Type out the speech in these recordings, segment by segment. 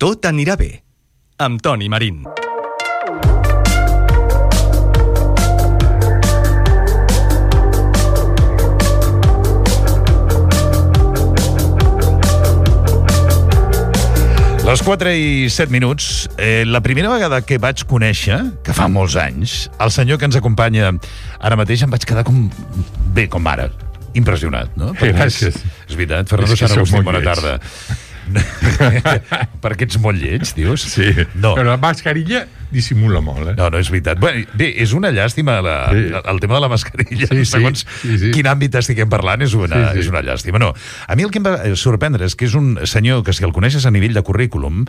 Tot anirà bé, amb Toni Marín. Les 4:07, la primera vegada que vaig conèixer, que fa molts anys, el senyor que ens acompanya ara mateix, em vaig quedar com ara, impressionat, no? Gràcies. És veritat, Fernando Saragustín, bona tarda. Perquè ets molt lleig, dius? Sí, no. Però la mascarilla dissimula molt, No, és veritat. Bé, és una llàstima el tema de la mascarilla. Segons quin àmbit estiguem parlant, és una llàstima. No, a mi el que em va sorprendre és que és un senyor que, si el coneixes a nivell de currículum,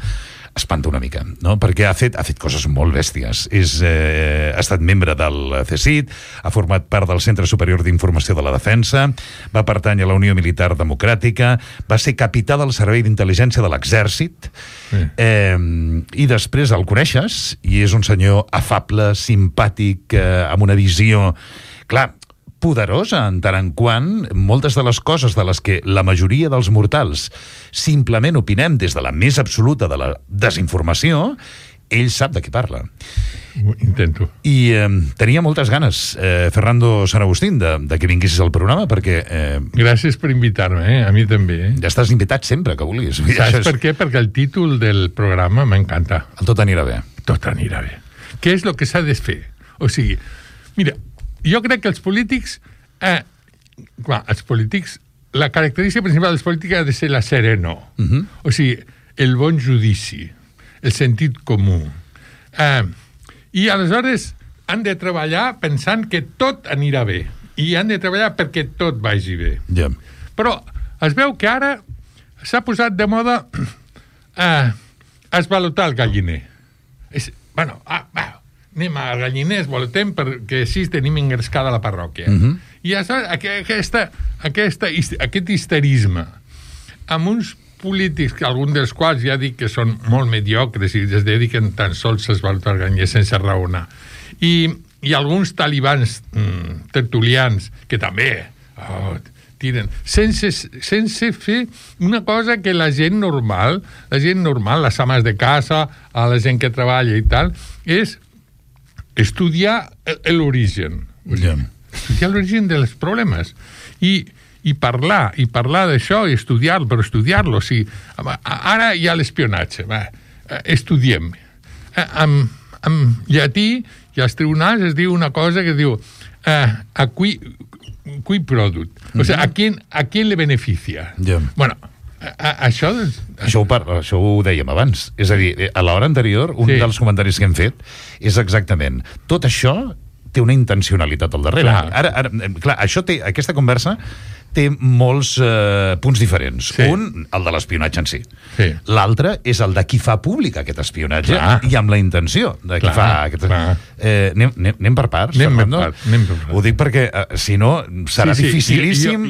espanta una mica, no? Perquè ha fet coses molt bèsties. Ha estat membre del CSIC, ha format part del Centre Superior d'Informació de la Defensa, va pertànyer a la Unió Militar Democràtica, va ser capità del Servei d'Intel·ligència de l'Exèrcit, i després el coneixes, i és un senyor afable, simpàtic, amb una visió, clar, poderosa en tant en quant moltes de les coses de les que la majoria dels mortals simplement opinem des de la més absoluta de la desinformació, ell sap de què parla. Intento. I tenia moltes ganes, Fernando Saragustín, de que vinguessis al programa, perquè... Gràcies per invitar-me, a mi també. Ja estàs invitat sempre que vulguis. Saps per què? Perquè el títol del programa m'encanta. El tot anirà bé. Tot anirà bé. Què és el que s'ha de fer? O sigui, mira, jo crec que els polítics, la característica principal dels polítics ha de ser la sereno. O sigui, el bon judici, el sentit comú. I aleshores han de treballar pensant que tot anirà bé. I han de treballar perquè tot vagi bé. Yeah. Però es veu que ara s'ha posat de moda esvalotar el galliner. Anem a galliners, voltem, perquè així tenim engrescada la parròquia. I aquest histerisme amb uns polítics, que alguns dels quals ja dic que són molt mediocres i es dediquen tan sols a esvalotar el galliner sense raonar, i alguns talibans tertulians que també tiren, sense fer una cosa que la gent normal, les ames de casa, a la gent que treballa i tal, és estudiar l'origen. Estudiar l'origen dels problemes. I parlar d'això, i estudiar-lo, però estudiar-lo. Sí. Ara hi ha l'espionatge. Estudiem. En llatí, i als tribunals es diu una cosa que diu a qui product. O sigui, a qui le beneficia. Bueno, això ho dèiem abans. És a dir, a l'hora anterior, un dels comentaris que hem fet és exactament, tot això té una intencionalitat al darrere. Clar, aquesta conversa té molts punts diferents. Un, el de l'espionatge en si. L'altre és el de qui fa públic aquest espionatge i amb la intenció de qui fa aquest... Anem per parts, Fernando? Anem per parts. Ho dic perquè, si no, serà dificilíssim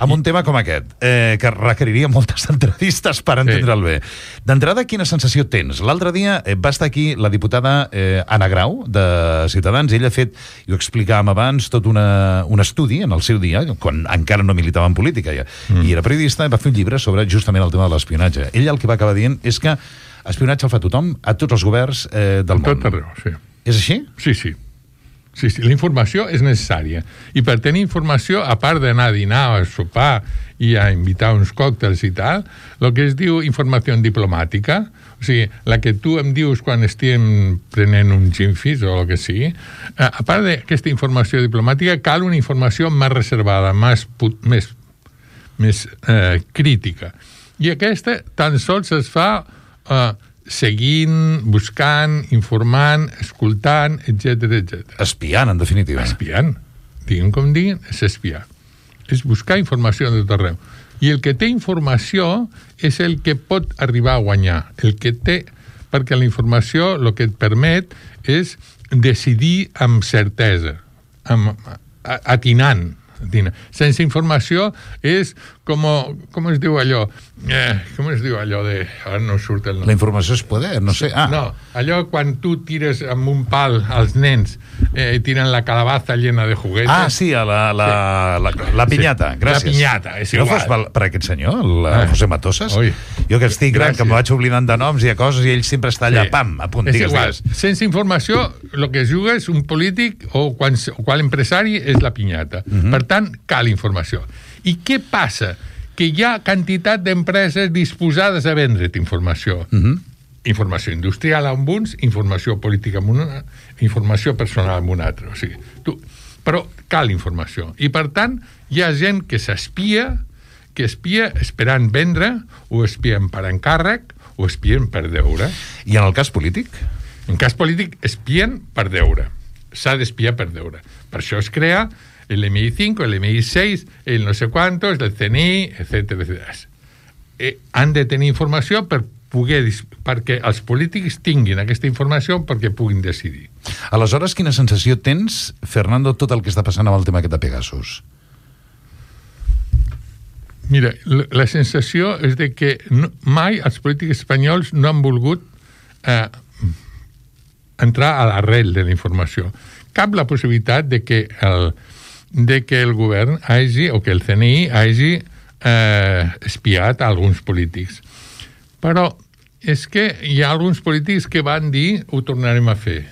amb un tema com aquest, que requeriria moltes entrevistes per entendre'l bé. D'entrada, quina sensació tens? L'altre dia va estar aquí la diputada Anna Grau, de Ciutadans. Ella ha fet, i ho explicàvem abans, tot un estudi en el seu dia, quan encara no militava en política i era periodista, i va fer un llibre sobre justament el tema de l'espionatge. Ell el que va acabar dient és que espionatge el fa tothom, a tots els governs del món. Tot arreu, sí. És així? Sí. La informació és necessària. I per tenir informació, a part d'anar a dinar o a sopar i a invitar uns còctels i tal, el que es diu informació diplomàtica, o sigui, la que tu em dius quan estem prenent un ginfis o el que sigui, a part d'aquesta informació diplomàtica, cal una informació més reservada, més crítica. I aquesta tan sols es fa seguint, buscant, informant, escoltant, etc. Espiant, en definitiva. Espiant. Diguin com diguin, és espiar. És buscar informació de tot arreu. I el que té informació és el que pot arribar a guanyar. Perquè la informació el que et permet és decidir amb certesa, atinant. Sense informació és com es diu allò? Com es diu allò de... Ara no surt el nom. La informació és poder, no sé. No, allò quan tu tires amb un pal als nens i tiren la calabaza llena de juguetes. Sí, la pinyata, gràcies. La pinyata, és igual. No fos per aquest senyor, el José Matosas? Oi. Jo que estic gran, que em vaig oblidant de noms i de coses i ell sempre està allà, pam, a punt. És igual. Sense informació, el que es juga és un polític o qual empresari és la pinyata. Per tant, cal informació. I què passa? Que hi ha quantitat d'empreses disposades a vendre't informació. Informació industrial amb uns, informació política amb una, informació personal amb un altre. O sigui, però cal informació. I, per tant, hi ha gent que s'espia, que espia esperant vendre, o espien per encàrrec, o espien per deure. I en el cas polític? En cas polític, espien per deure. S'ha d'espiar per deure. Per això es crea el MI5, el MI6, el no sé quantos, el CNI, etc. Han de tenir informació perquè els polítics tinguin aquesta informació perquè puguin decidir. Aleshores, quina sensació tens, Fernando, tot el que està passant amb el tema aquest de Pegasus? Mira, la sensació és de que mai els polítics espanyols no han volgut entrar a l'arrel de la informació. Cap la possibilitat de que el govern hagi, o que el CNI hagi espiat a alguns polítics. Però és que hi ha alguns polítics que van dir ho tornarem a fer.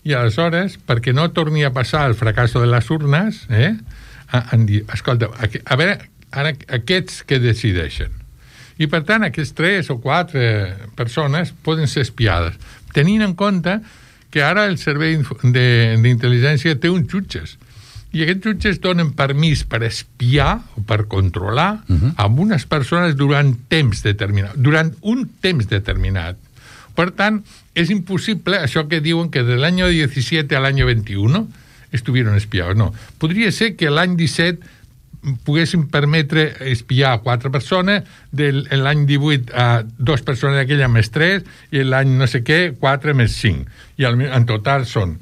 I aleshores, perquè no torni a passar el fracasso de les urnes, han dit, escolta, a veure, ara aquests que decideixen. I per tant, aquests 3 o 4 persones poden ser espiades, tenint en compte que ara el servei d'intel·ligència té uns jutges. I aquests jutges donen permís per espiar o per controlar amb unes persones durant un temps determinat. Per tant, és impossible això que diuen que de l'any 17 a l'any 21 estuvieron espiados. No, podria ser que l'any 17 poguessin permetre espiar a 4 persones, l'any 18 a 2 persones d'aquella més 3, i l'any no sé què, 4 més 5. I en total són.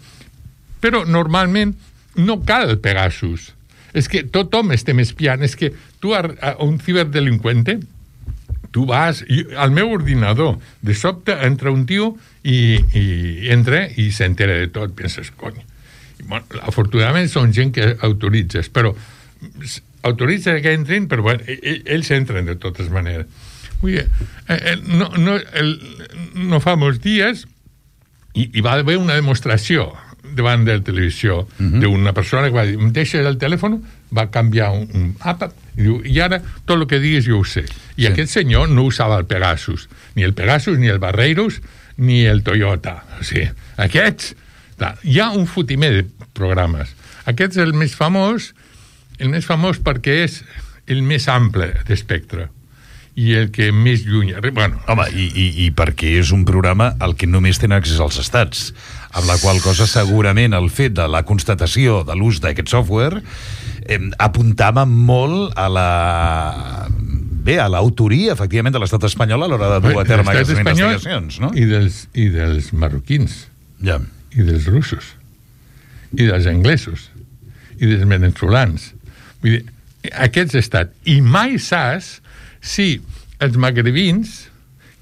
Però normalment no cal el Pegasus. És que tothom estem espiant. És que tu, a un ciberdelinqüente, tu vas al meu ordinador, de sobte entra un tio i entra i s'entera de tot. Penses, cony. Bueno, afortunadament són gent que autoritzes, però autoritza que entrin, però bueno, ells entren de totes maneres. Vull dir, no fa molts dies i va haver una demostració davant de la televisió d'una persona que va dir, em deixes el telèfon, va canviar un app i diu, i ara tot el que digues jo ho sé. I aquest senyor no usava el Pegasus, ni el Barreiros, ni el Toyota. O sigui, aquests, hi ha un fotimer de programes. Aquest és el més famós perquè és el més ample d'espectre i el que més lluny... Bueno, home, i perquè és un programa al que només tenen accés als estats, amb la qual cosa segurament el fet de la constatació de l'ús d'aquest software apuntava molt a l'autoria, efectivament, de l'estat espanyol a l'hora de dur a terme aquestes investigacions, no? I dels marroquins, ja. I dels russos, i dels anglesos, i dels veneçolans. Vull dir, aquests estats. I mai saps si els magrebins,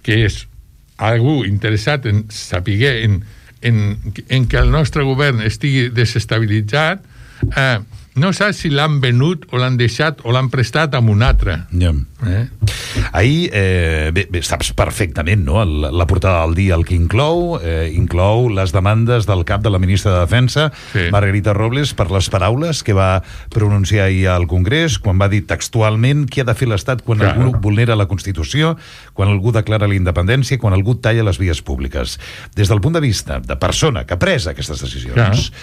que és algú interessat en saber en que el nostre govern estigui desestabilitzat, no saps si l'han venut o l'han deixat o l'han prestat a un altre. Ja. Ahir, bé, saps perfectament, no?, la portada del dia el que inclou les demandes del cap de la ministra de Defensa, Margarita Robles, per les paraules que va pronunciar ahir al Congrés, quan va dir textualment què ha de fer l'Estat quan algú vulnera la Constitució, quan algú declara la independència, quan algú talla les vies públiques. Des del punt de vista de persona que ha pres aquestes decisions,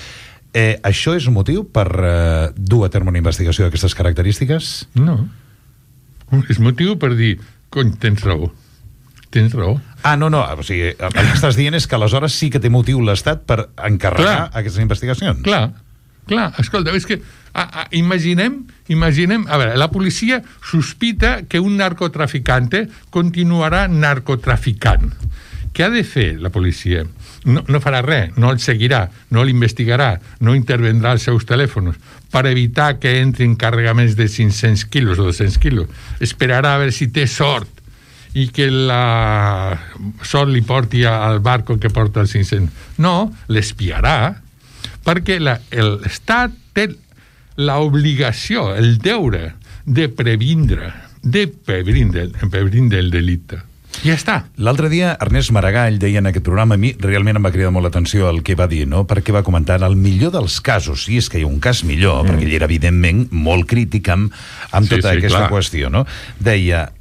això és un motiu per dur a terme una investigació d'aquestes característiques? No. És motiu per dir, cony, tens raó. Tens raó. No, o sigui, el que estàs dient és que aleshores sí que té motiu l'Estat per encarregar aquestes investigacions. Clar, escolta, és que imaginem, a veure, la policia sospita que un narcotraficante continuarà narcotraficant. Què ha de fer la policia? No farà res, no el seguirà, no l'investigarà, no intervendrà als seus telèfons per evitar que entrin carregaments de 500 quilos o 200 quilos. Esperarà a veure si té sort i que la sort li porti al barco que porta els 500. No, l'espiarà, perquè l'Estat té l'obligació, el deure de previndre el delicte. I ja està. L'altre dia, Ernest Maragall deia en aquest programa, a mi realment em va cridar molt l'atenció el que va dir, no? Perquè va comentar el millor dels casos, si és que hi ha un cas millor, perquè ell era evidentment molt crític amb tota aquesta qüestió, no? Deia,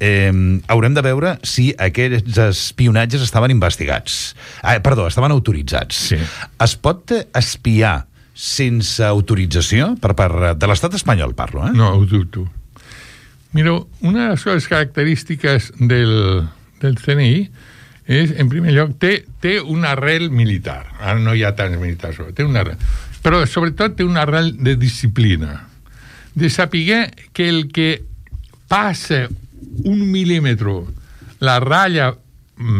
haurem de veure si aquests espionatges estaven investigats. Estaven autoritzats. Sí. Es pot espiar sense autorització per part de l'estat espanyol, parlo, eh? No, ho dubto. Mira, una de les coses característiques del CNI és, en primer lloc, té una arrel militar. Ara no hi ha tants militars, té una arrel. Però, sobretot, té una arrel de disciplina. De saber que el que passa 1 mil·límetre la ratlla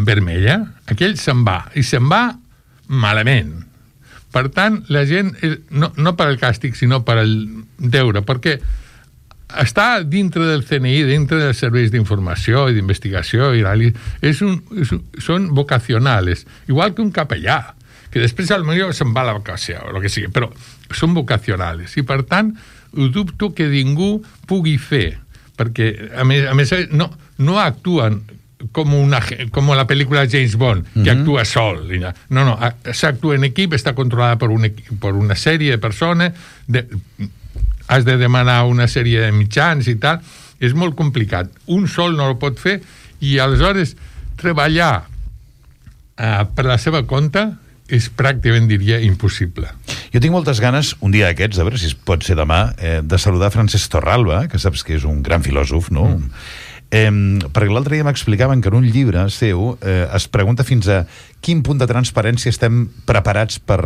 vermella, aquell se'n va, i se'n va malament. Per tant, la gent, no per al càstig, sinó per al deure, perquè està dintre del CNI, dintre dels serveis d'informació i d'investigació i són vocacionals, igual que un capellà, que després potser se'n va a la vacació o el que sigui, però són vocacionals i per tant ho dubto que ningú pugui fer, perquè a més no actuen com la pel·lícula James Bond, que actua sol. No, s'actua en equip, està controlada per una sèrie de persones, has de demanar una sèrie de mitjans i tal, és molt complicat. Un sol no ho pot fer i aleshores treballar per la seva compte és pràcticament, diria, impossible. Jo tinc moltes ganes, un dia d'aquests, a veure si pot ser demà, de saludar Francesc Torralba, que saps que és un gran filòsof, no? Perquè l'altre dia m'explicaven que en un llibre seu es pregunta fins a quin punt de transparència estem preparats per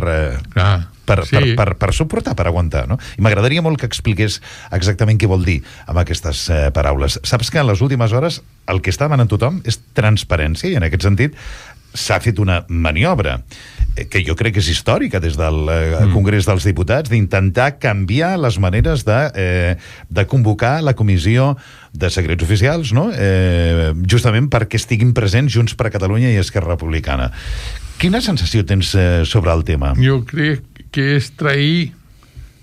suportar, per aguantar, no? I m'agradaria molt que expliqués exactament què vol dir amb aquestes paraules. Saps que en les últimes hores el que està demanant tothom és transparència i en aquest sentit s'ha fet una maniobra que jo crec que és històrica des del Congrés dels Diputats, d'intentar canviar les maneres de convocar la comissió de secrets oficials, no? Justament perquè estiguin presents Junts per Catalunya i Esquerra Republicana. Quina sensació tens sobre el tema? Jo crec que és trair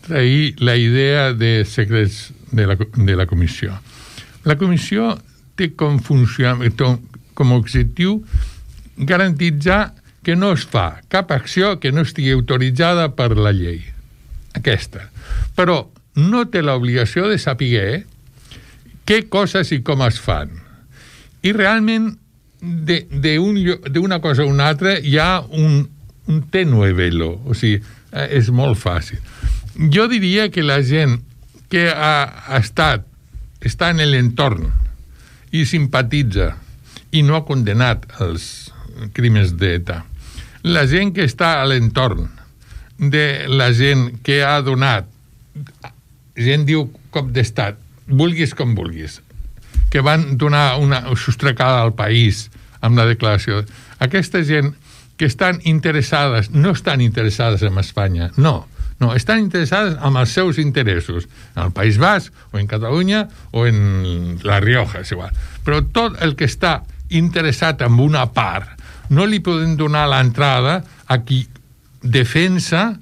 la idea de secrets de la comissió. La comissió té com objectiu garantitzar que no es fa cap acció que no estigui autoritzada per la llei. Aquesta. Però no té l'obligació de saber què coses i com es fan. I realment d'una cosa a una altra hi ha un tenue velo. O sigui, és molt fàcil. Jo diria que la gent que està en l'entorn i simpatitza i no ha condenat els crímens d'ETA, la gent que està a l'entorn de la gent que ha donat, gent diu cop d'estat, vulguis com vulguis, que van donar una sostracada al país amb la declaració, aquesta gent que estan interessades, no estan interessades en Espanya, no, estan interessades en els seus interessos, en el País Basc, o en Catalunya, o en La Rioja, és igual. Però tot el que està interessat en una part, no li podem donar l'entrada a qui defensa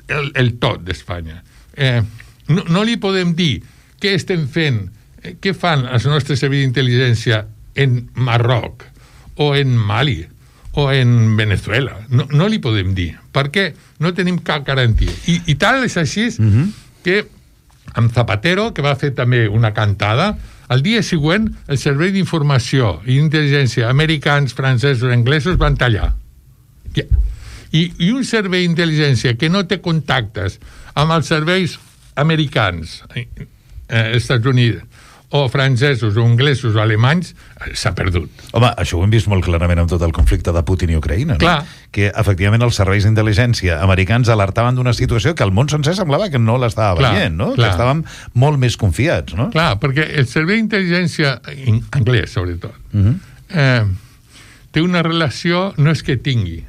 el tot d'Espanya. No li podem dir què estem fent, què fan els nostres serveis d'intel·ligència en Marroc, o en Mali, o en Venezuela. No li podem dir, perquè no tenim cap garantia. I tal és així que amb Zapatero, que va fer també una cantada, al dia següent el servei d'informació i intel·ligència americans, francesos, anglesos van tallar. I un servei d'intel·ligència que no té contactes amb els serveis americans, Estats Units, o francesos, o anglesos, o alemanys, s'ha perdut. Home, això ho hem vist molt clarament amb tot el conflicte de Putin i Ucraïna, no? Clar. Que efectivament els serveis d'intel·ligència americans alertaven d'una situació que el món sencer semblava que no l'estava veient, no? Clar. Que estàvem molt més confiats, no? Clar, perquè el servei d'intel·ligència anglès, sobretot, té una relació, no és que tingui,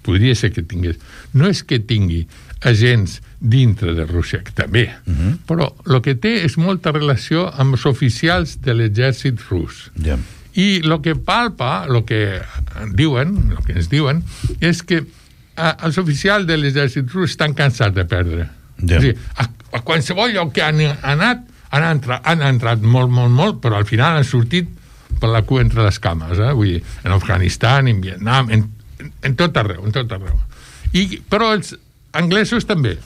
podria ser que tingués, no és que tingui agents dintre de Rússia, que també, però el que té és molta relació amb els oficials de l'exèrcit rus. I el que palpa, el que ens diuen, és que els oficials de l'exèrcit rus estan cansats de perdre. És a dir, a qualsevol lloc que han anat, han entrat molt, però al final han sortit per la cua entre les cames, vull dir, en Afganistan, en Vietnam, en tot arreu. Però els anglesos també.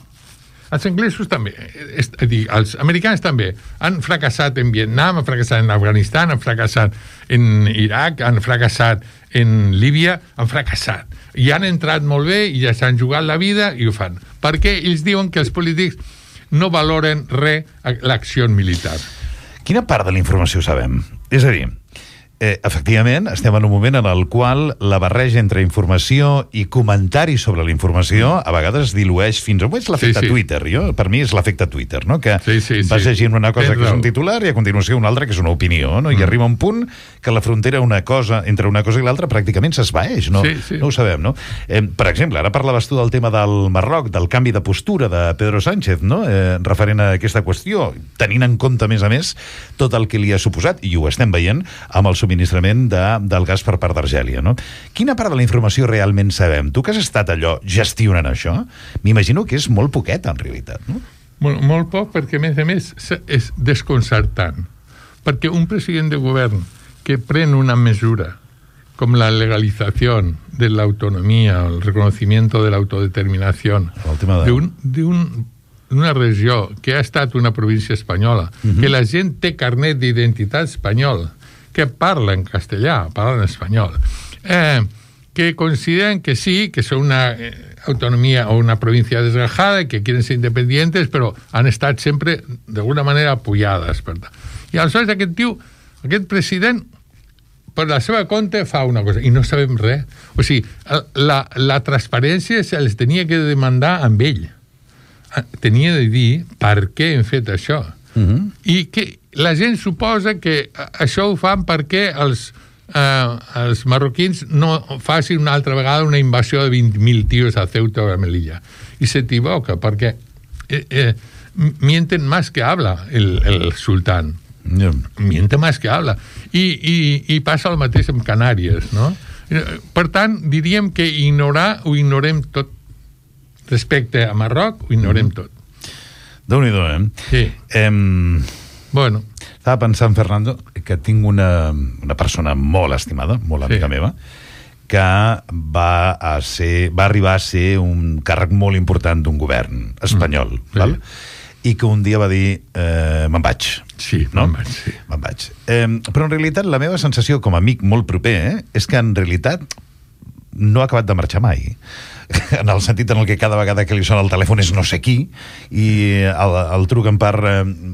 Els anglesos també, és a dir, els americans també han fracassat en Vietnam, han fracassat en Afganistan, han fracassat en Iraq, han fracassat en Líbia, han fracassat. I han entrat molt bé i ja s'han jugat la vida i ho fan. Perquè ells diuen que els polítics no valoren res l'acció militar. Quina part de la informació sabem? És a dir, efectivament, estem en un moment en el qual la barreja entre informació i comentari sobre la informació a vegades dilueix fins a... És l'efecte Twitter. Per mi és l'efecte Twitter, no? Que vas llegint una cosa que és un titular i a continuació una altra que és una opinió, no? I arriba un punt que la frontera entre una cosa i l'altra pràcticament s'esvaeix, no? No ho sabem, no? Per exemple, ara parlaves tu del tema del Marroc, del canvi de postura de Pedro Sánchez, no? Referent a aquesta qüestió, tenint en compte, a més, tot el que li ha suposat, i ho estem veient, amb el subministrament del gas per part d'Argèlia, no? Quina part de la informació realment sabem? Tu que has estat allò gestionant això, m'imagino que és molt poquet, en realitat, no? Molt poc, perquè, a més, és desconcertant. Perquè un president de govern que pren una mesura com la legalització de la autonomía, el reconocimiento de la autodeterminación de una regió que ha estat una província espanyola, que la gent té carnet d'identitat espanyol, que parla en castellà, parla en espanyol, que consideren que sí, que son una autonomía o una provincia desgajada y que quieren ser independientes, però han estat sempre, d'alguna manera, apoyades. I aleshores aquest president, per la seva compte, fa una cosa, i no sabem res. O sigui, la transparència se'ls tenia que demandar amb ell. Tenia de dir per què hem fet això. I que la gent suposa que això ho fan perquè els marroquins no facin una altra vegada una invasió de 20.000 tios a Ceuta o a Melilla. I s'equivoca, perquè mienten más que habla el sultán. Miente más que habla. I passa el mateix amb Canàries, no? Per tant, diríem que ho ignorem tot. Respecte a Marroc, ho ignorem tot. Déu-n'hi-do, Sí. Bueno. Estava pensant, Fernando, que tinc una persona molt estimada, molt amiga meva, que va arribar a ser un càrrec molt important d'un govern espanyol, val? I que un dia va dir me'n vaig. Sí, no? me'n vaig. Però en realitat la meva sensació com a amic molt proper és que en realitat no ha acabat de marxar mai, en el sentit en el que cada vegada que li sona el telèfon és no sé qui i el truquen per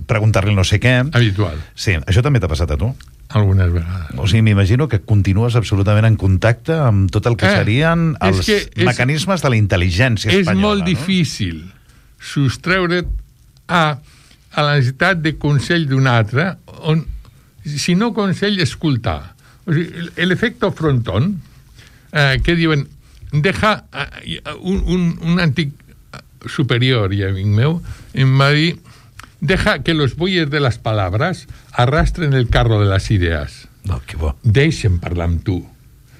preguntar-li no sé què. Habitual. Sí, això també t'ha passat a tu? Algunes vegades. O sigui, m'imagino que continues absolutament en contacte amb tot el que serien els mecanismes de la intel·ligència espanyola. És molt difícil sostreure't a la necessitat de consell d'un altre, on, si no consell, escoltar. O sigui, l'efecte frontón, que diuen, deja un antic superior i amic meu em va dir, deja que los bueyes de las palabras arrastren el carro de las ideas. Que bo. Deixa'm parlar amb tu,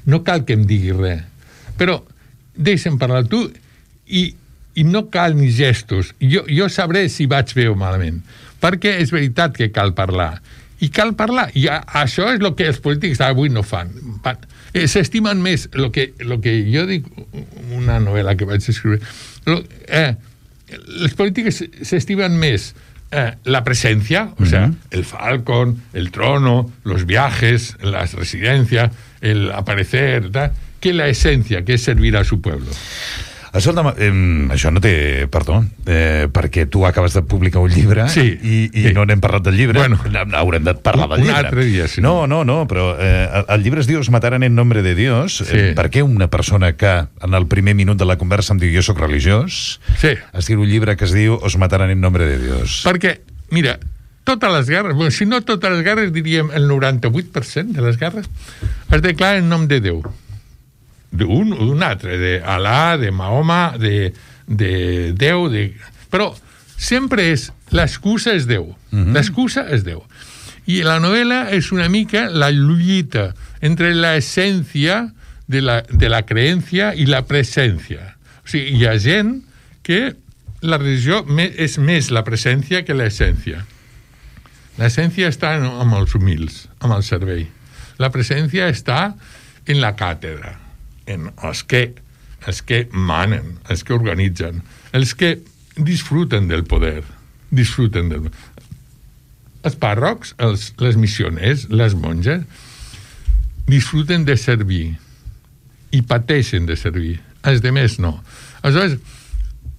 no cal que em diguis res, però deixa'm parlar amb tu i no cal ni gestos. Jo sabré si vaig bé o malament, perquè és veritat que cal parlar i això és el que els polítics avui no fan. S'estimen més el que jo dic, una novel·la que vaig escriure, les polítiques s'estimen més la presencia, o sea, el Falcon, el trono, los viajes, las residencias, el aparecer, que la esencia, que es servir a su pueblo. Això no té perdó, perquè tu acabes de publicar un llibre i no n'hem parlat del llibre. Bueno, haurem de parlar del llibre. Un altre dia, sí. No, però el llibre es diu Os mataran en nombre de Dios. Per què una persona que en el primer minut de la conversa em diu jo soc religiós, escriu un llibre que es diu Os mataran en nombre de Dios? Perquè, mira, totes les guerres, bueno, si no totes les guerres, diríem el 98% de les guerres, es declara en nom de Déu. D'un altre, d'Alà, de Mahoma, de Déu, però sempre és, l'excusa és Déu. L'excusa és Déu. I la novel·la és una mica la lluita entre la essència de la creencia i la presència. O sigui, hi ha gent que la religió és més la presència que l'essència. L'essència està amb els humils, amb el servei. La presència està en la càtedra, en els que manen, els que organitzen, els que disfruten del poder, Els pàrrocs, les missioners, les monges, disfruten de servir i pateixen de servir. Els demés no. Aleshores,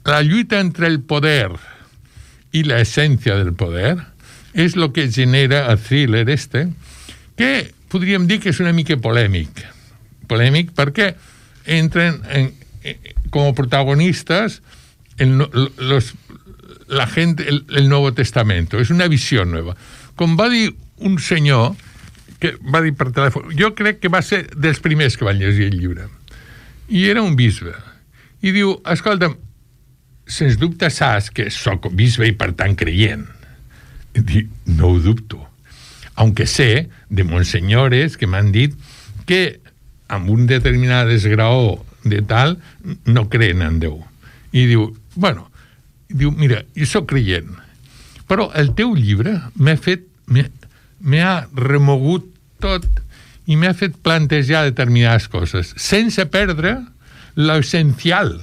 la lluita entre el poder i l'essència del poder és el que genera el thriller que podríem dir que és una mica polèmic. Polèmic perquè entren com a protagonistes la gent, el Nuevo Testamento. És una visió nova. Com va dir un senyor que va dir per telèfon, jo crec que va ser dels primers que van llegir el llibre, i era un bisbe, i diu, escolta'm, sens dubte saps que soc bisbe i per tant creient. I dic, no ho dubto. Aunque sé de monsenyores que m'han dit que amb un determinat esgraó de tal no creen en Déu. I diu, mira, jo soc creient, però el teu llibre m'ha remogut tot i m'ha fet plantejar determinades coses, sense perdre l'essencial.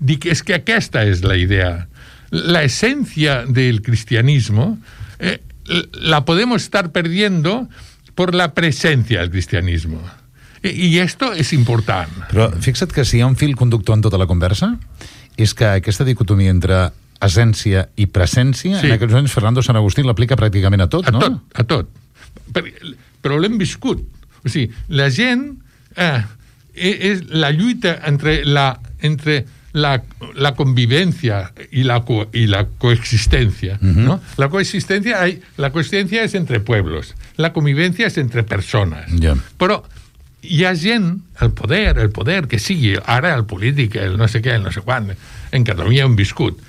Dic, és que aquesta és la idea. La esencia del cristianismo la podemos estar perdiendo por la presencia del cristianismo. I esto és important. Però fixa't que si hi ha un fil conductor en tota la conversa, és que aquesta dicotomia entre essència i presència, sí, en aquests moments Fernando Sant Agustí l'aplica pràcticament a tot, no? A tot. Però l'hem viscut. O sigui, la gent és la lluita entre la convivencia y la coexistencia, ¿no? La coexistencia es entre pueblos, la convivencia es entre persones. Però hi ha gent, el poder que sigui, ara el polític, el no sé què, el no sé quan, en Catalunya hem viscut.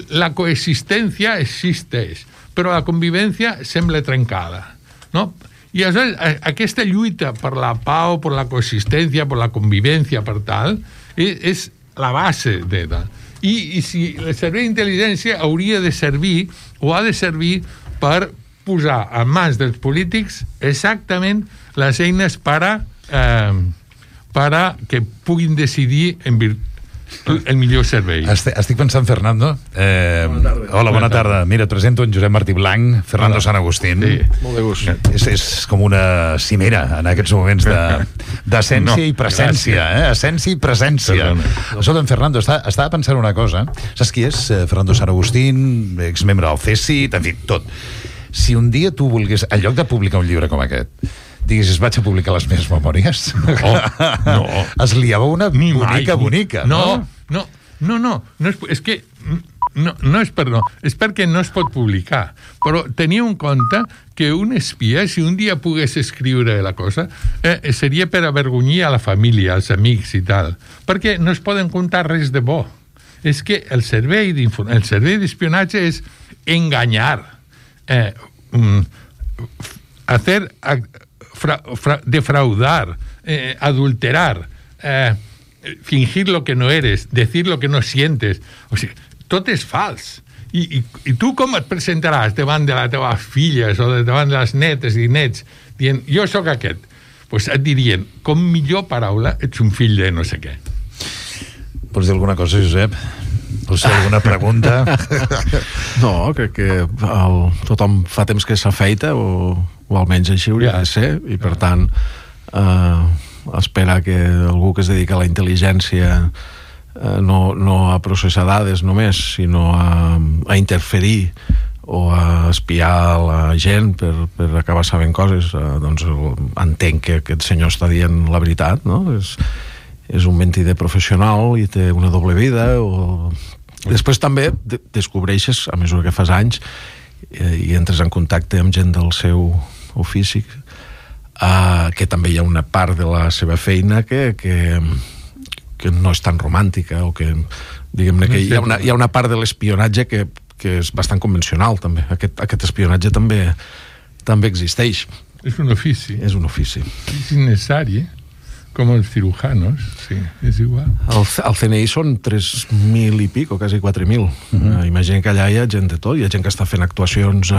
La coexistència existeix, però la convivència sembla trencada, no? I aleshores, aquesta lluita per la pau, per la coexistència, per la convivència, per tal, és la base de tal. I si el servei d'intel·ligència hauria de servir, o ha de servir per posar en mans dels polítics exactament les eines per que puguin decidir el millor servei. Estic pensant, Fernando. Hola, bona tarda. Mira, et presento en Josep Martí Blanc, Fernando Sant Agustín. Sí. Molt de gust. És com una cimera en aquests moments d'essència i presència. Essència i presència. Escolta'm, Fernando, estava pensant una cosa. Saps qui és? Fernando Sant Agustín, exmembre del CSIC, en fi, tot. Si un dia tu volgués, en lloc de publicar un llibre com aquest, diguessis, vaig a publicar les meves memòries. No. Es liava una bonica. No. És que no és per no. És perquè no es pot publicar. Però tenia en compte que un espia, si un dia pogués escriure la cosa, seria per avergonyir a la família, als amics i tal. Perquè no es poden contar res de bo. És que el servei d'espionatge és enganyar, defraudar, adulterar, fingir lo que no eres, decir lo que no sientes. O sigui, tot és fals. I tu com et presentaràs davant de les teves filles o davant de les netes i nets dient, jo sóc aquest? Pues et dirien, com millor paraula, ets un fill de no sé què. Vols dir alguna cosa, Josep? Vols fer alguna pregunta? No, crec que tothom fa temps que s'afeita, o almenys així hauria de ser, i per tant espera que algú que es dedica a la intel·ligència no a processar dades només, sinó a interferir o a espiar la gent per acabar sabent coses, doncs entenc que aquest senyor està dient la veritat, no? És un mentider professional i té una doble vida. Després també descobreixes, a mesura que fas anys, i entres en contacte amb gent del seu ofici, que també hi ha una part de la seva feina que no és tan romàntica, o que, diguem-ne, que hi ha una part de l'espionatge que és bastant convencional, també. Aquest espionatge també existeix. És un ofici. És un ofici. És innecessari, com els cirujanos, sí, és igual. El CNI són 3.000 i pico, quasi 4.000. Imagina que allà hi ha gent de tot, hi ha gent que està fent actuacions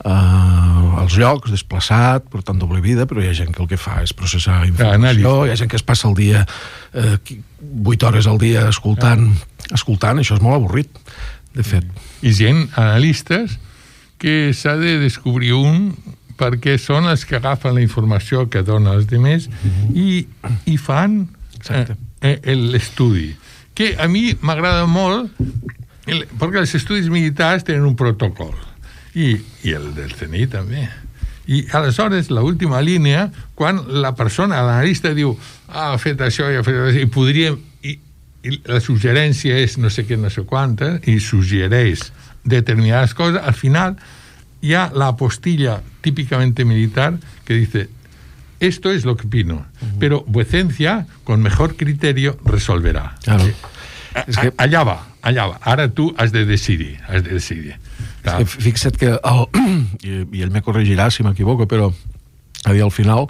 als llocs, desplaçat, portant doble vida, però hi ha gent que el que fa és processar informació, hi ha gent que es passa el dia 8 hores al dia escoltant, això és molt avorrit, de fet. I gent, analistes, que s'ha de descobrir perquè són els que agafen la informació que dona els altres i fan l'estudi. Que a mi m'agrada molt, perquè els estudis militars tenen un protocol, i el del CNI també. I aleshores, l'última línia, quan la persona, l'analista, diu ha fet això i ha fet això, i podríem... I la suggerència és no sé què, no sé quanta, i suggereix determinades coses, al final hi ha la apostilla típicamente militar que dice esto es lo que opino, pero vuecencia con mejor criterio resolverá. Claro. Allà va. Ara tu has de decidir. És que fixa't que i ell me corregirà si m'equivoco, però al final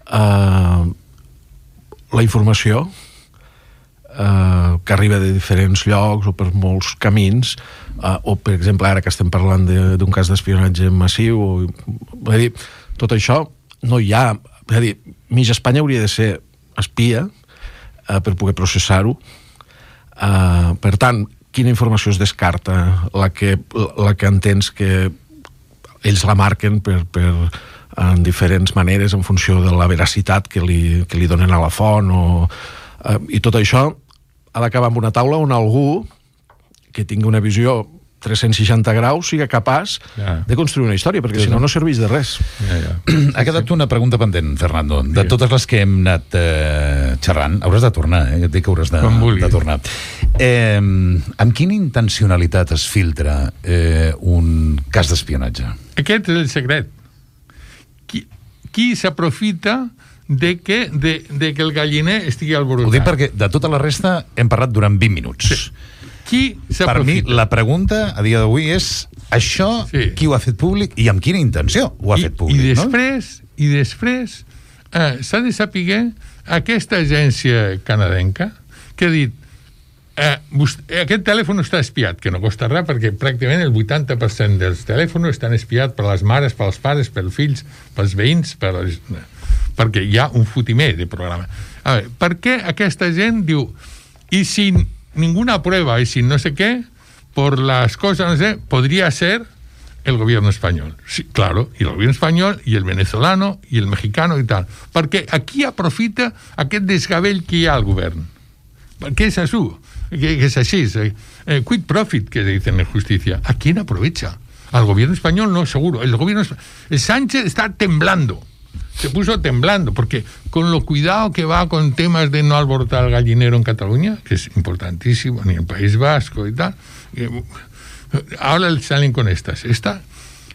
la informació que arriba de diferents llocs o per molts camins, o per exemple ara que estem parlant d'un cas d'espionatge massiu, tot això no hi ha, és a dir, mig Espanya hauria de ser espia per poder processar-ho. Per tant, quina informació es descarta? La que entens que ells la marquen en diferents maneres en funció de la veracitat que li donen a la font, i tot això ha d'acabar amb una taula on algú que tingui una visió 360 graus sigui capaç de construir una història, perquè si no serveix de res. Ha quedat una pregunta pendent, Fernando. De totes les que hem anat xerrant, hauràs de tornar, ja et dic que hauràs de tornar. Amb quina intencionalitat es filtra un cas d'espionatge? Aquest és el secret. Qui s'aprofita de que el galliner estigui alborotat? Ho dic perquè de tota la resta hem parlat durant 20 minuts. Sí. Qui s'aprofita? Per mi, la pregunta a dia d'avui és això, qui ho ha fet públic i amb quina intenció ho ha fet públic. I després s'ha de saber aquesta agència canadenca que ha dit aquest telèfon està espiat, que no costa res perquè pràcticament el 80% dels telèfons estan espiats per les mares, pels pares, pels fills, pels veïns, perquè hi ha un fotimer de programa. A veure, per què aquesta gent diu i si ninguna prueba y sin no sé qué, por las cosas, no sé, podría ser el gobierno español. Sí, claro, y el gobierno español, y el venezolano, y el mexicano y tal. Perquè aquí aprofita aquest desgavell que hi ha al govern. Perquè és això, que és així. Quid profit, que dicen en justicia. ¿A quién aprovecha? Al gobierno español no, seguro. El Sánchez está temblando. Se puso temblando, porque con lo cuidado que va con temas de no alborotar el gallinero en Cataluña, que es importantísimo, ni en el País Vasco y tal, ahora salen con estas.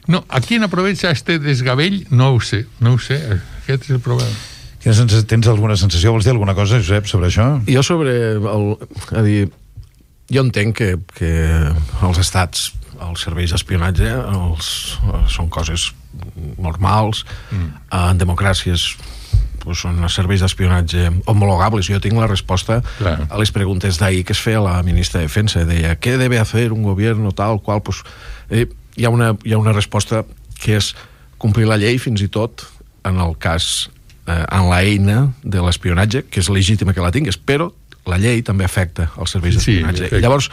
No, ¿a quién aprovecha este desgavell? No ho sé. Aquest és el problema. Tens alguna sensació? Vols dir alguna cosa, Josep, sobre això? Jo jo entenc que els estats, els serveis d'espionatge són coses normals. En democràcies són serveis d'espionatge homologables. Jo tinc la resposta a les preguntes d'ahir que es feia la ministra de Defensa. Deia, ¿qué debe hacer un gobierno tal qual? Hi ha una resposta que és complir la llei, fins i tot en el cas, en l'eina de l'espionatge, que és legítima que la tingues, però la llei també afecta els serveis d'espionatge. I llavors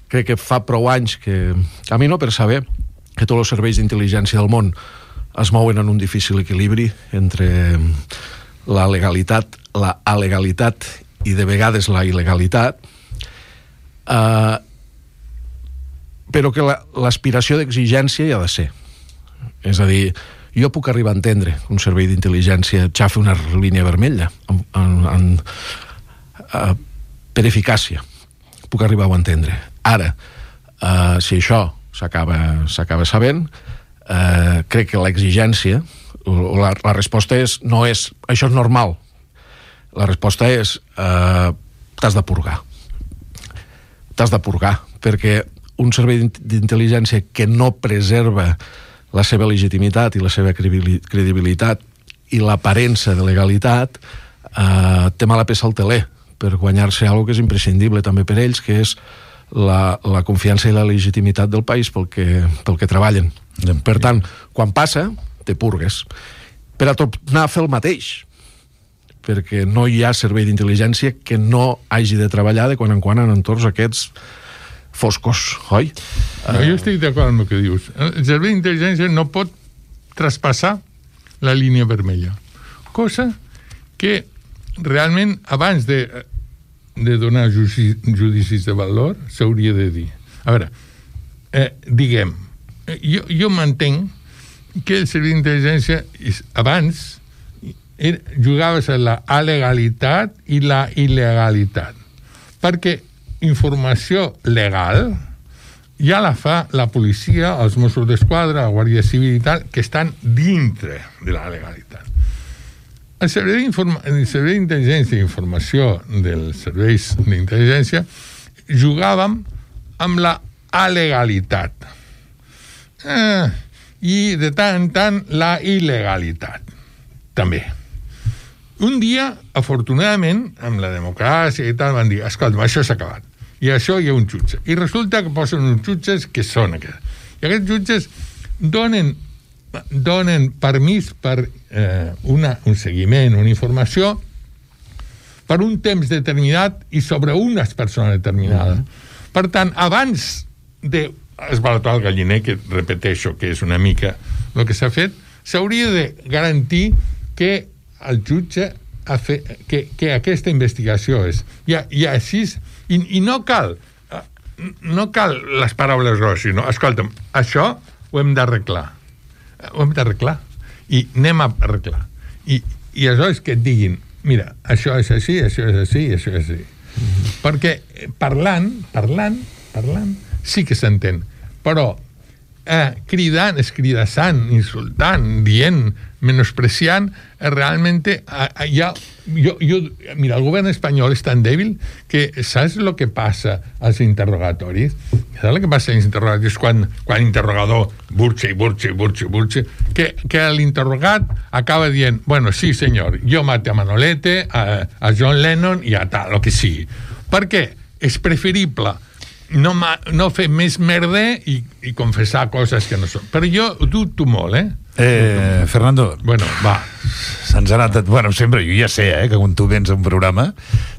crec que fa prou anys que camino per saber que tots els serveis d'intel·ligència del món es mouen en un difícil equilibri entre la legalitat, la alegalitat i de vegades la il·legalitat, però que l'aspiració d'exigència hi ha de ser. És a dir, jo puc arribar a entendre que un servei d'intel·ligència xafi una línia vermella per eficàcia. Puc arribar a entendre. Ara, si això s'acaba sabent. Crec que l'exigència, la resposta no és això és normal. La resposta és t'has de purgar. T'has de purgar, perquè un servei d'intel·ligència que no preserva la seva legitimitat i la seva credibilitat i l'aparença de legalitat té mala peça al teler per guanyar-se alguna que és imprescindible també per ells, que és la confiança i la legitimitat del país pel que treballen. Per tant, quan passa, te purgues. Per a tornar a fer el mateix, perquè no hi ha servei d'intel·ligència que no hagi de treballar de quan en entorns aquests foscos, oi? No, jo estic d'acord amb el que dius. El servei d'intel·ligència no pot traspassar la línia vermella. Cosa que realment abans de donar judicis de valor s'hauria de dir. A veure, diguem, jo m'entenc que el servei d'intel·ligència abans jugaves a la alegalitat i la il·legalitat. Perquè informació legal ja la fa la policia, els Mossos d'Esquadra, la Guàrdia Civil i tal, que estan dintre de la legalitat. El servei d'intel·ligència i informació dels serveis d'intel·ligència jugàvem amb la alegalitat. I de tant en tant la il·legalitat també. Un dia, afortunadament, amb la democràcia i tal, van dir, escolta, això s'ha acabat. I això hi ha un jutge. I resulta que posen uns jutges que són aquests. I aquests jutges donen permís per un seguiment, una informació, per un temps determinat i sobre unes persones determinades. Per tant, abans d'esbalatar el galliner, que repeteixo que és una mica el que s'ha fet, s'hauria de garantir que el jutge que aquesta investigació és. I així... I no cal les paraules grosses, sinó, escolta'm, això ho hem d'arreglar. Ho hem d'arreglar. I anem a arreglar. I aleshores que et diguin, mira, això és així, això és així, això és així. Perquè parlant, sí que s'entén. Però cridant, escridassant, insultant, dient, menospreciant, realment mira, el govern espanyol és tan dèbil que saps el que passa als interrogatoris? Saps el que passa als interrogatoris quan l'interrogador burxa, que l'interrogat acaba dient, bueno, sí senyor, jo maté a Manolete, a John Lennon i a tal, el que sigui. Per què? És preferible no fer més merder i confessar coses que no són. Però jo dubto molt, Fernando, bueno, va. Se'ns ha anat... Bueno, sempre, jo ja sé, que quan tu vens a un programa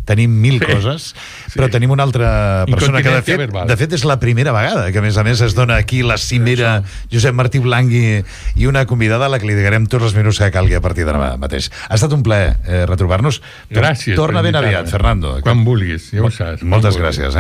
tenim mil coses, però tenim una altra persona que, de fet, és la primera vegada que, a més, es dona aquí la cimera Josep Martí Blangui i una convidada a la que li dedicarem tots els minuts que calgui a partir de demà mateix. Ha estat un plaer retrobar-nos. Gràcies. Torna ben aviat, Fernando. Quan vulguis, ja ho saps. Moltes gràcies.